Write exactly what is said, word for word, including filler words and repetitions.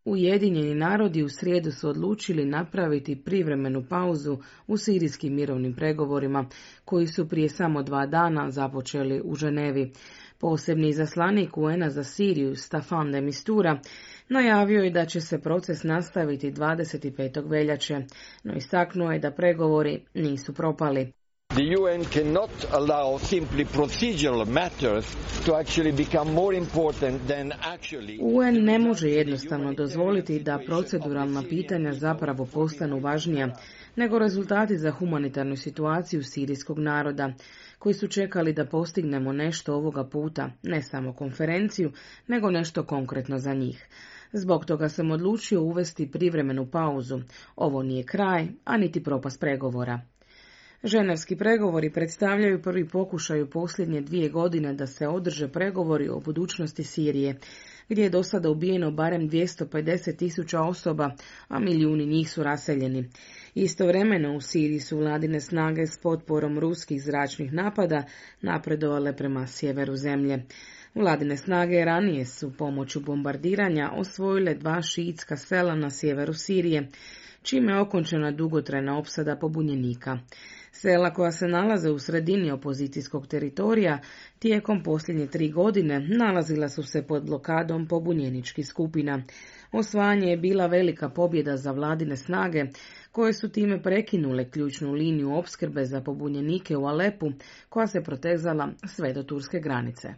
Ujedinjeni narodi u srijedu su odlučili napraviti privremenu pauzu u sirijskim mirovnim pregovorima, koji su prije samo dva dana započeli u Ženevi. Posebni izaslanik U N A za Siriju, Staffan de Mistura, najavio je da će se proces nastaviti dvadeset petog veljače, no istaknuo je da pregovori nisu propali. The U N cannot allow simply procedural matters to actually become more important than actually. U N ne može jednostavno dozvoliti da proceduralna pitanja zapravo postanu važnija nego rezultati za humanitarnu situaciju sirijskog naroda, koji su čekali da postignemo nešto ovoga puta, ne samo konferenciju, nego nešto konkretno za njih. Zbog toga sam odlučio uvesti privremenu pauzu. Ovo nije kraj, a niti propast pregovora. Ženevski pregovori predstavljaju prvi pokušaj u posljednje dvije godine da se održe pregovori o budućnosti Sirije, gdje je do sada ubijeno barem dvjesto pedeset tisuća osoba, a milijuni njih su raseljeni. Istovremeno u Siriji su vladine snage s potporom ruskih zračnih napada napredovale prema sjeveru zemlje. Vladine snage ranije su pomoću bombardiranja osvojile dva šiitska sela na sjeveru Sirije, čime je okončana dugotrajna opsada pobunjenika. Sela koja se nalaze u sredini opozicijskog teritorija tijekom posljednje tri godine nalazila su se pod blokadom pobunjeničkih skupina. Osvajanje je bila velika pobjeda za vladine snage, koje su time prekinule ključnu liniju opskrbe za pobunjenike u Alepu, koja se protezala sve do turske granice.